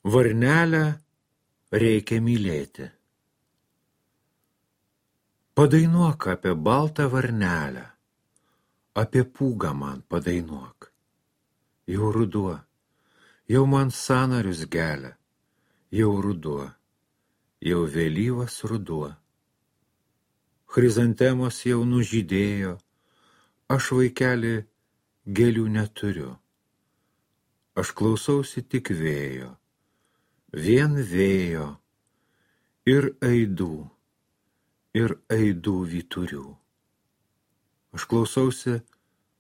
Varnelę reikia mylėti. Padainuok apie baltą varnelę, apie pūgą man padainuok. Jau ruduo, jau man sąnarius gelia, jau ruduo, jau vėlyvas ruduo. Chrizantemos jau nužydėjo, aš vaikeli gėlių neturiu. Aš klausausi tik vėjo, vien vėjo ir aidų vyturių. Aš klausausi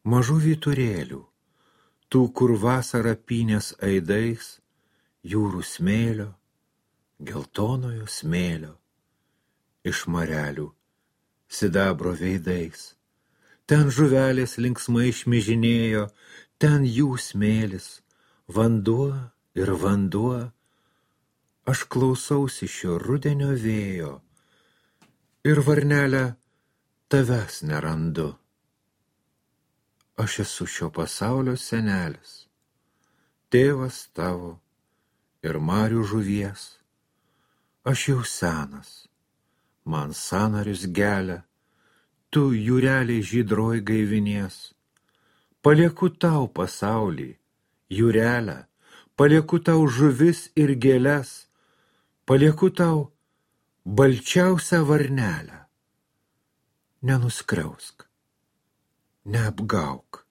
mažų vyturėlių, tų, kur vasara pynės aidais, jūrų smėlio, geltonojo smėlio, iš marelių sidabro veidais. Ten žuvelės linksmai šmižinėjo, ten jų smėlis, vanduo ir vanduo. Aš klausausi šio rudenio vėjo ir varnelę tavęs nerandu. Aš esu šio pasaulio senelis, tėvas tavo ir marių žuvies. Aš jau senas, man sąnarius gelia, tu jūreliai žydroj gaivinies. Palieku tau pasaulį, jūrelę, palieku tau žuvis ir gėles, palieku tau balčiausią varnelę. Nenuskriausk, neapgauk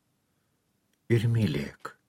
ir mylėk.